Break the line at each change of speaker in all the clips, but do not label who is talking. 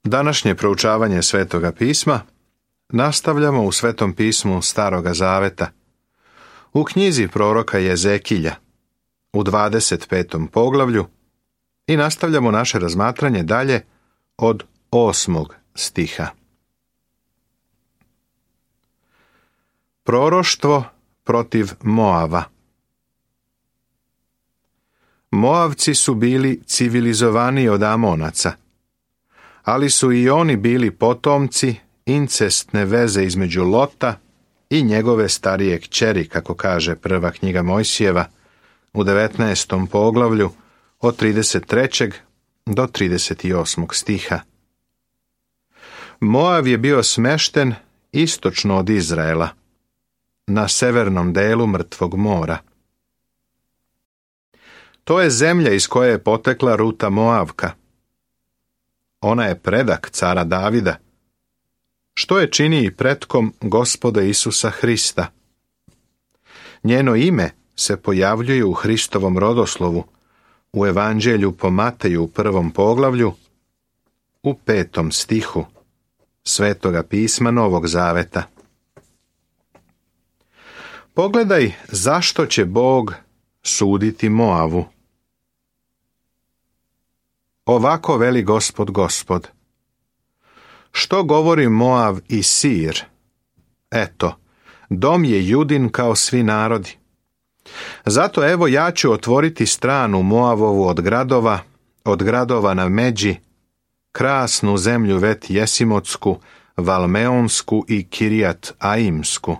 Današnje proučavanje Svetoga pisma nastavljamo u Svetom pismu Staroga Zaveta, u knjizi proroka Jezekilja, u 25. poglavlju i nastavljamo naše razmatranje dalje od 8. stiha. Proroštvo protiv Moava. Moavci su bili civilizovaniji od Amonaca, ali su i oni bili potomci incestne veze između Lota i njegove starije kćeri, kako kaže prva knjiga Mojsijeva, u 19. poglavlju od 33. do 38. stiha. Moav je bio smešten istočno od Izraela, na severnom delu Mrtvog mora. To je zemlja iz koje je potekla Ruta Moavka. Ona je predak cara Davida, što je čini i pretkom Gospoda Isusa Hrista. Njeno ime se pojavljuje u Hristovom rodoslovu, u Evanđelju po Mateju u 1. poglavlju, u 5. stihu Svetoga pisma Novog Zaveta. Pogledaj zašto će Bog suditi Moavu. Ovako veli Gospod. Što govori Moav i Sir? Eto, dom je Judin kao svi narodi. Zato evo ja ću otvoriti stranu Moavovu od gradova na Međi, krasnu zemlju Vet Jesimotsku, Valmeonsku i Kirijat Aimsku.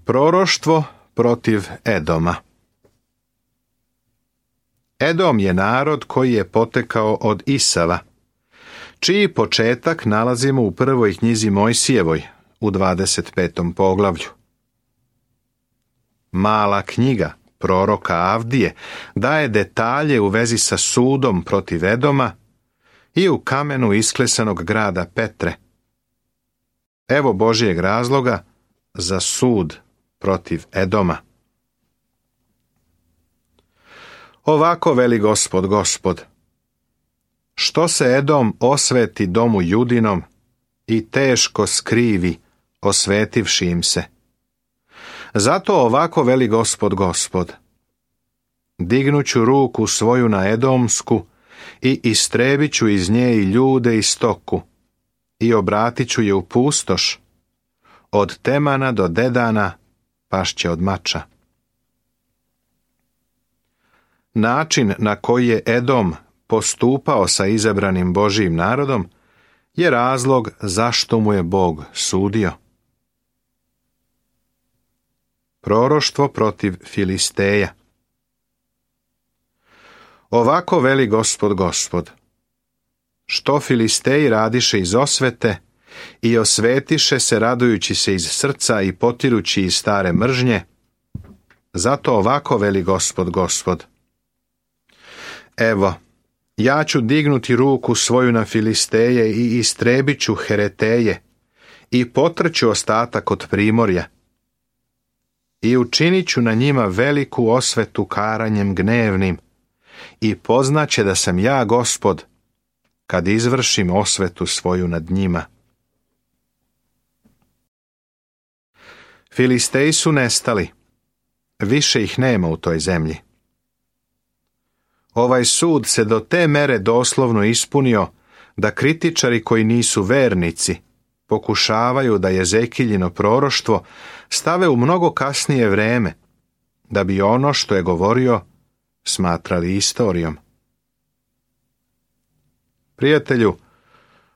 Proroštvo protiv Edoma. Edom je narod koji je potekao od Isava, čiji početak nalazimo u prvoj knjizi Mojsijevoj, u 25. poglavlju. Mala knjiga proroka Avdije daje detalje u vezi sa sudom protiv Edoma i u kamenu isklesanog grada Petre. Evo Božjeg razloga za sud protiv Edoma. Ovako veli Gospod. Što se Edom osveti domu Judinom i teško skrivi, osvetivši im se. Zato ovako veli Gospod. Dignuću ruku svoju na Edomsku i istrebit ću iz nje i ljude i stoku i obratit ću je u pustoš. Od Temana do Dedana pašće od mača. Način na koji je Edom postupao sa izabranim Božjim narodom je razlog zašto mu je Bog sudio. Proroštvo protiv Filisteja. Ovako veli Gospod. Što Filisteji radiše iz osvete i osvetiše se radujući se iz srca i potirući iz stare mržnje, zato ovako veli Gospod. Evo, ja ću dignuti ruku svoju na Filisteje i istrebit ću Hereteje i potrću ostatak od primorja i učinit ću na njima veliku osvetu karanjem gnevnim i poznaće da sam ja Gospod kad izvršim osvetu svoju nad njima. Filisteji su nestali, više ih nema u toj zemlji. Ovaj sud se do te mere doslovno ispunio da kritičari koji nisu vernici pokušavaju da Jezekiljino proroštvo stave u mnogo kasnije vreme, da bi ono što je govorio smatrali istorijom. Prijatelju,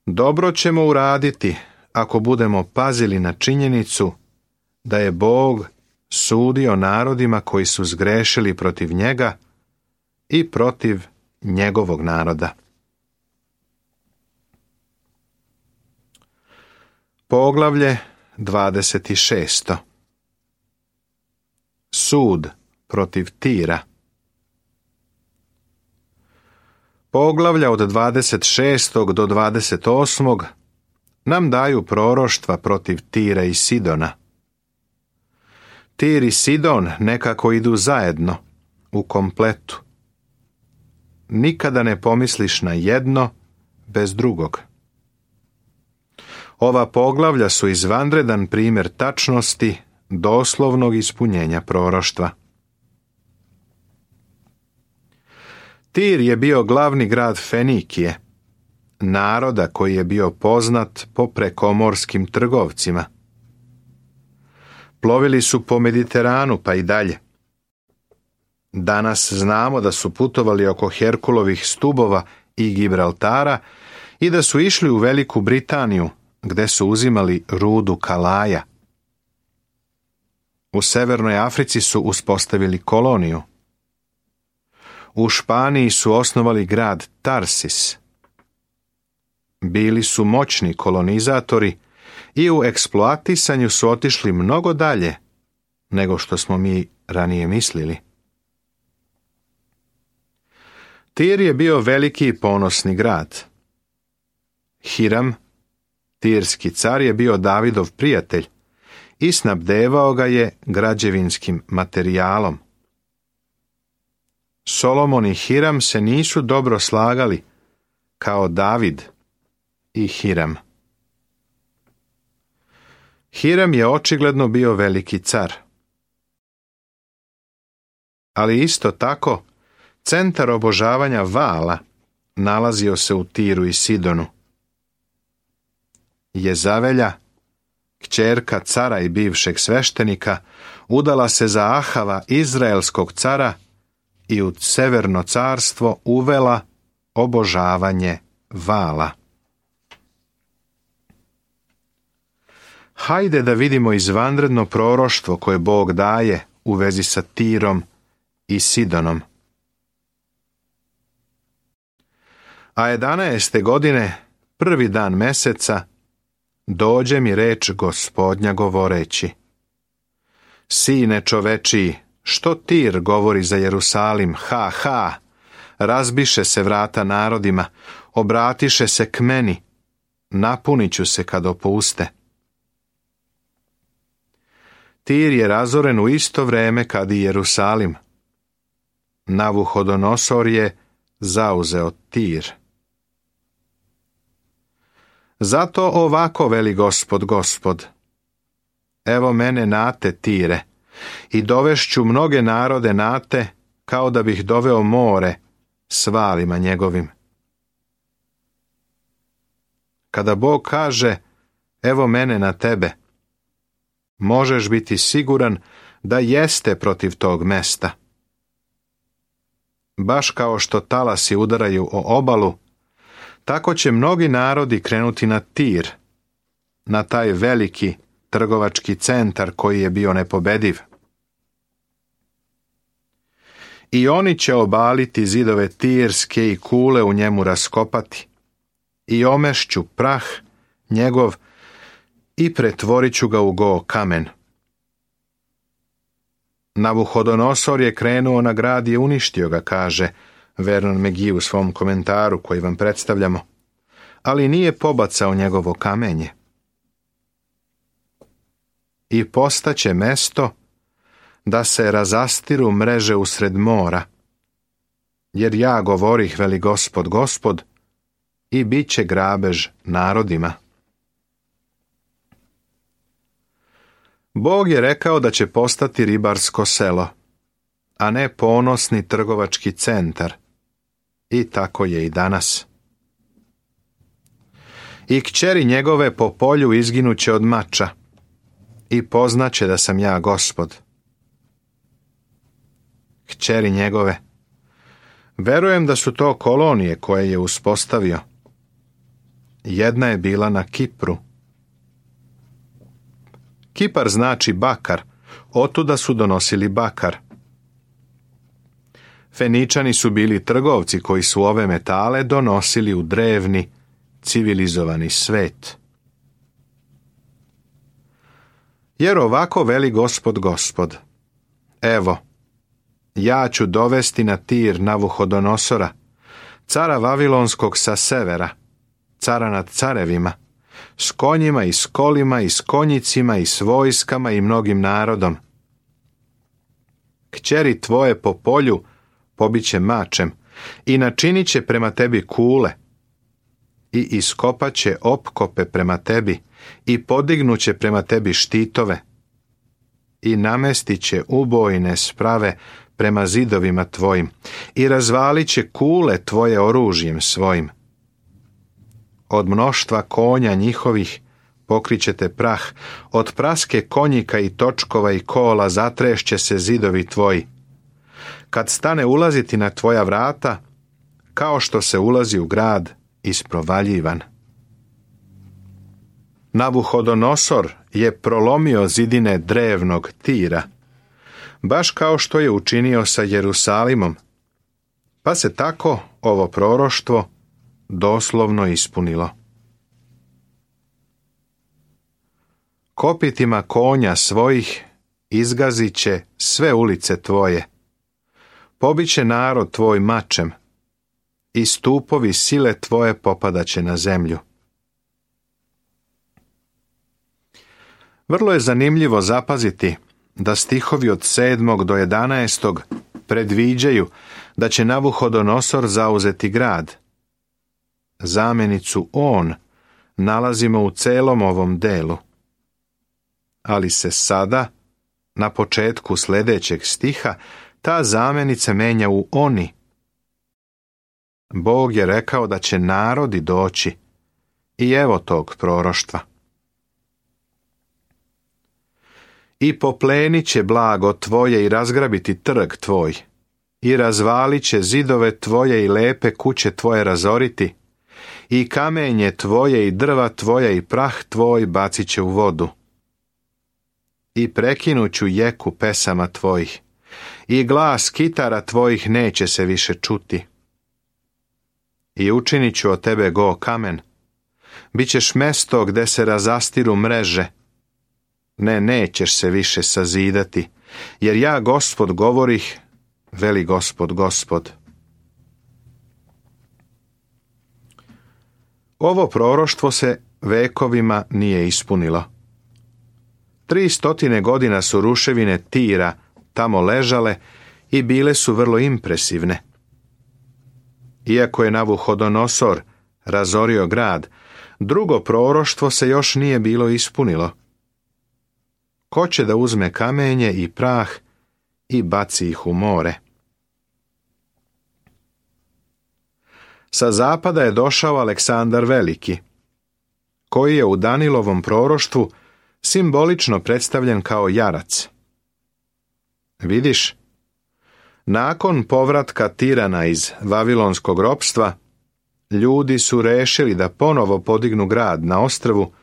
dobro ćemo uraditi ako budemo pazili na činjenicu da je Bog sudio narodima koji su zgrešili protiv njega i protiv njegovog naroda. Poglavlje 26. Sud protiv Tira. Poglavlja od 26. do 28. nam daju proroštva protiv Tira i Sidona. Tir i Sidon nekako idu zajedno, u kompletu. nikada ne pomisliš na jedno bez drugog. Ova poglavlja su izvanredan primjer tačnosti, doslovnog ispunjenja proroštva. Tir je bio glavni grad Fenikije, naroda koji je bio poznat po prekomorskim trgovcima. Plovili su po Mediteranu pa i dalje. Danas znamo da su putovali oko Herkulovih stubova i Gibraltara i da su išli u Veliku Britaniju, gde su uzimali rudu kalaja. U Severnoj Africi su uspostavili koloniju. U Španiji su osnovali grad Tarsis. Bili su moćni kolonizatori i u eksploatisanju su otišli mnogo dalje nego što smo mi ranije mislili. Tir je bio veliki i ponosni grad. Hiram, tirski car, je bio Davidov prijatelj i snabdevao ga je građevinskim materijalom. Solomon i Hiram se nisu dobro slagali kao David i Hiram. Hiram je očigledno bio veliki car. Ali isto tako, centar obožavanja Vaala nalazio se u Tiru i Sidonu. Jezavelja, kćerka cara i bivšeg sveštenika, udala se za Ahava, izraelskog cara, i u Severno carstvo uvela obožavanje Vaala. Hajde da vidimo izvanredno proroštvo koje Bog daje u vezi sa Tirom i Sidonom. A 11. godine, prvi dan meseca, dođe mi reč Gospodnja govoreći: Sine čovečiji, što Tir govori za Jerusalim? Ha, ha! Razbiše se vrata narodima, obratiše se k meni, napunit ću se kad opuste. Tir je razoren u isto vreme kad i Jerusalim. Navuhodonosor je zauzeo Tir. Zato ovako veli Gospod: Evo mene nate, Tire, i dovešću mnoge narode nate, kao da bih doveo more s valima njegovim. Kada Bog kaže: Evo mene na tebe, možeš biti siguran da jeste protiv tog mesta. Baš kao što talasi udaraju o obalu, tako će mnogi narodi krenuti na Tir, na taj veliki trgovački centar koji je bio nepobediv. I oni će obaliti zidove Tirske i kule u njemu raskopati, i omešću prah njegov i pretvorit ću ga u go kamen. Navuhodonosor je krenuo na grad i uništio ga, kaže Vernon McGee u svom komentaru koji vam predstavljamo, ali nije pobacao njegovo kamenje. I postaće mesto da se razastiru mreže usred mora, jer ja govorih, veli Gospod, i bit će grabež narodima. Bog je rekao da će postati ribarsko selo, a ne ponosni trgovački centar. I tako je i danas. I kćeri njegove po polju izginuće od mača, i poznaće da sam ja Gospod. Kćeri njegove. Verujem da su to kolonije koje je uspostavio. Jedna je bila na Kipru. Kipar znači bakar, otuda su donosili bakar. Feničani su bili trgovci koji su ove metale donosili u drevni, civilizovani svet. Jer ovako veli Gospod: Evo, ja ću dovesti na Tir Navuhodonosora, cara Vavilonskog sa severa, cara nad carevima, s konjima i s kolima i s konjicima i s vojskama i mnogim narodom. Kćeri tvoje po polju pobiće mačem i načinit će prema tebi kule i iskopat će opkope prema tebi i podignuće prema tebi štitove i namestit će ubojne sprave prema zidovima tvojim i razvalit će kule tvoje oružjem svojim. Od mnoštva konja njihovih pokrićete prah, od praske konjika i točkova i kola zatrešće se zidovi tvoji. Kad stane ulaziti na tvoja vrata, kao što se ulazi u grad isprovaljivan. Navuhodonosor je prolomio zidine drevnog Tira, baš kao što je učinio sa Jerusalimom, pa se tako ovo proroštvo doslovno ispunilo. Kopitima konja svojih izgazit će sve ulice tvoje, pobiće narod tvoj mačem i stupovi sile tvoje popadaće na zemlju. Vrlo je zanimljivo zapaziti da stihovi od 7. do 11. predviđaju da će Navuhodonosor zauzeti grad. Zamjenicu on nalazimo u celom ovom delu. Ali se sada, na početku sljedećeg stiha, ta zamjenica menja u oni. Bog je rekao da će narodi doći i evo tog proroštva. I poplenit će blago tvoje i razgrabiti trg tvoj, i razvalit će zidove tvoje i lepe kuće tvoje razoriti, i kamenje tvoje i drva tvoja i prah tvoj bacit će u vodu. I prekinuću jeku pesama tvojih, i glas kitara tvojih neće se više čuti. I učinit ću od tebe go kamen, bit ćeš mesto gde se razastiru mreže. Ne, nećeš se više sazidati, jer ja, Gospod, govorih, veli Gospod, Gospod. Ovo proroštvo se vekovima nije ispunilo. 300 godina su ruševine Tira tamo ležale i bile su vrlo impresivne. Iako je Navuhodonosor razorio grad, drugo proroštvo se još nije bilo ispunilo. Ko će da uzme kamenje i prah i baci ih u more? Sa zapada je došao Aleksandar Veliki, koji je u Danilovom proroštvu simbolično predstavljen kao jarac. Vidiš, nakon povratka Tirana iz Vavilonskog ropstva, ljudi su rešili da ponovo podignu grad na ostrvu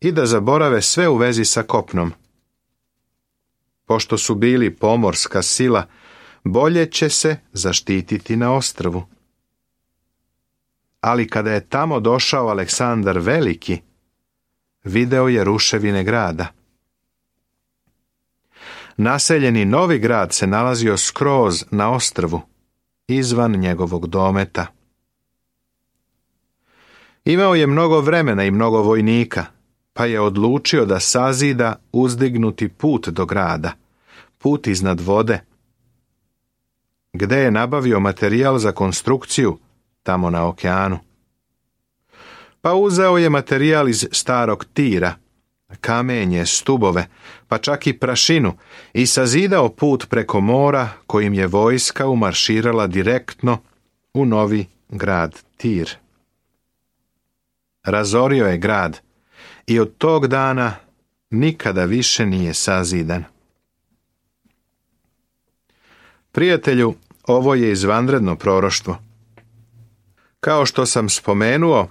i da zaborave sve u vezi sa kopnom. Pošto su bili pomorska sila, bolje će se zaštititi na ostrvu. Ali kada je tamo došao Aleksandar Veliki, video je ruševine grada. Naseljeni novi grad se nalazio skroz na ostrvu, izvan njegovog dometa. Imao je mnogo vremena i mnogo vojnika, pa je odlučio da sazida uzdignuti put do grada, put iznad vode. Gde je nabavio materijal za konstrukciju? Tamo na okeanu. Pa uzeo je materijal iz starog Tira, kamenje, stubove, pa čak i prašinu i sazidao put preko mora kojim je vojska umarširala direktno u novi grad Tir. Razorio je grad i od tog dana nikada više nije sazidan. Prijatelju, ovo je izvanredno proroštvo. Kao što sam spomenuo,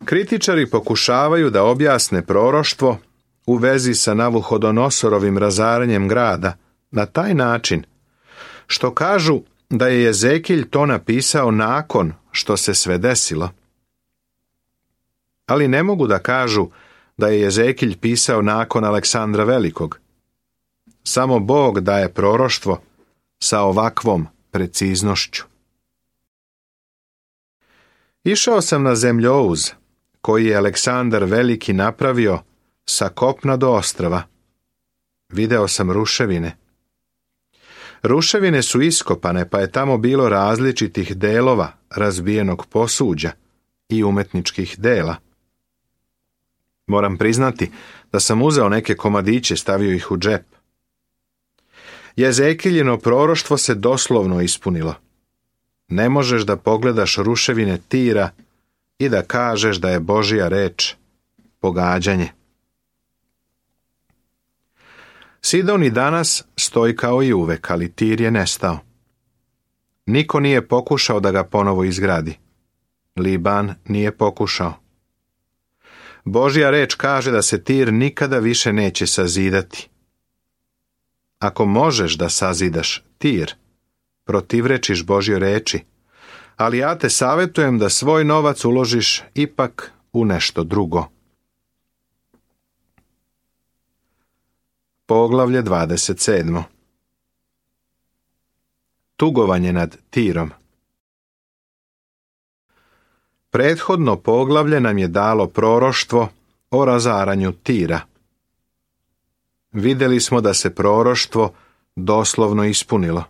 kritičari pokušavaju da objasne proroštvo u vezi sa Navuhodonosorovim razaranjem grada na taj način što kažu da je Jezekilj to napisao nakon što se sve desilo. Ali ne mogu da kažu da je Jezekilj pisao nakon Aleksandra Velikog. Samo Bog daje proroštvo sa ovakvom preciznošću. Išao sam na zemljouz koji je Aleksandar Veliki napravio sa kopna do ostrva. Video sam ruševine. Ruševine su iskopane, pa je tamo bilo različitih delova, razbijenog posuđa i umetničkih dela. Moram priznati da sam uzeo neke komadiće, stavio ih u džep. Jezekiljino proroštvo se doslovno ispunilo. Ne možeš da pogledaš ruševine Tira i da kažeš da je Božja reč pogađanje. Sidon i danas stoji kao i uvek, ali Tir je nestao. Niko nije pokušao da ga ponovo izgradi. Liban nije pokušao. Božja reč kaže da se Tir nikada više neće sazidati. Ako možeš da sazidaš Tir, protivrečiš Božjoj reči, ali ja te savjetujem da svoj novac uložiš ipak u nešto drugo. Poglavlje 27. Tugovanje nad Tirom. Prethodno poglavlje nam je dalo proroštvo o razaranju Tira. Vidjeli smo da se proroštvo doslovno ispunilo.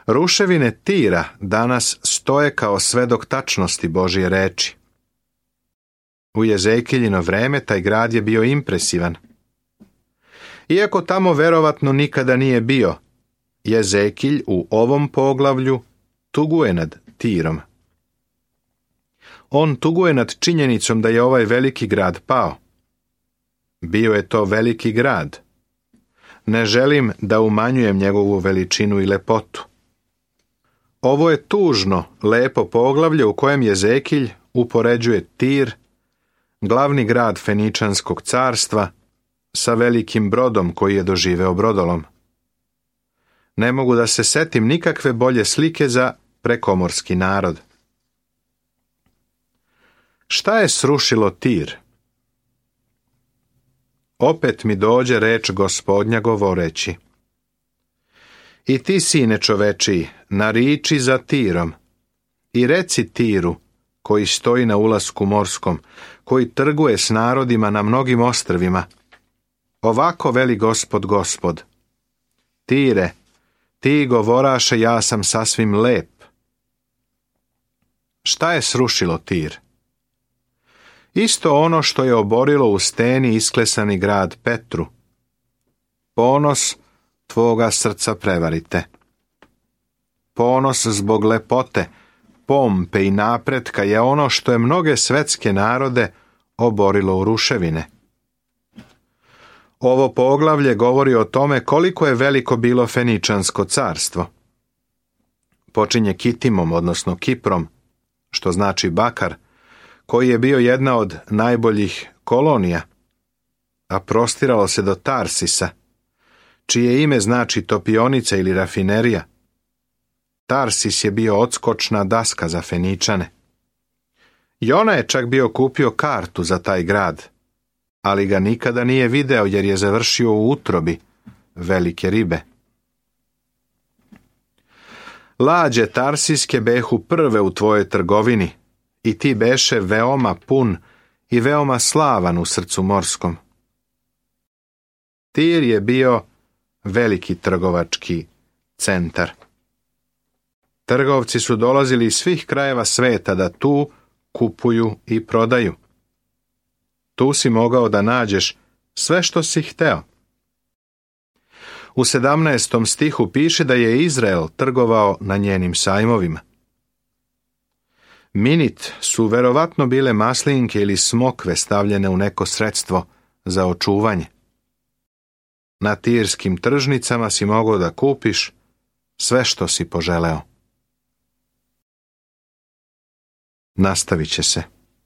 Ruševine Tira danas stoje kao svedok tačnosti Božje reči. U Jezekiljino vreme taj grad je bio impresivan. Iako tamo verovatno nikada nije bio, Jezekilj u ovom poglavlju tuguje nad Tirom. On tuguje nad činjenicom da je ovaj veliki grad pao. Bio je to veliki grad. Ne želim da umanjujem njegovu veličinu i lepotu. Ovo je tužno, lepo poglavlje u kojem Jezekilj upoređuje Tir, glavni grad Feničanskog carstva, sa velikim brodom koji je doživeo brodolom. Ne mogu da se setim nikakve bolje slike za prekomorski narod. Šta je srušilo Tir? Opet mi dođe reč Gospodnja govoreći: I ti, sine čovečiji, nariči za Tirom i reci Tiru, koji stoji na ulasku morskom, koji trguje s narodima na mnogim ostrvima: Ovako veli Gospod, Gospod: Tire, ti govoraše, ja sam sasvim lep. Šta je srušilo Tir? Isto ono što je oborilo u steni isklesani grad Petru. Ponos tvoga srca prevarite. Ponos zbog lepote, pompe i napretka je ono što je mnoge svetske narode oborilo u ruševine. Ovo poglavlje govori o tome koliko je veliko bilo Feničansko carstvo. Počinje Kitimom, odnosno Kiprom, što znači bakar, koji je bio jedna od najboljih kolonija, a prostiralo se do Tarsisa, čije ime znači topionica ili rafinerija. Tarsis je bio odskočna daska za Feničane. Jona je čak bio kupio kartu za taj grad, ali ga nikada nije video jer je završio u utrobi velike ribe. Lađe tarsiske behu prve u tvojoj trgovini i ti beše veoma pun i veoma slavan u srcu morskom. Tir je bio veliki trgovački centar. Trgovci su dolazili iz svih krajeva sveta da tu kupuju i prodaju. Tu si mogao da nađeš sve što si hteo. U 17. stihu piše da je Izrael trgovao na njenim sajmovima. Minit su verovatno bile maslinke ili smokve stavljene u neko sredstvo za očuvanje. Na tirskim tržnicama si mogao da kupiš sve što si poželeo. Nastavit će se.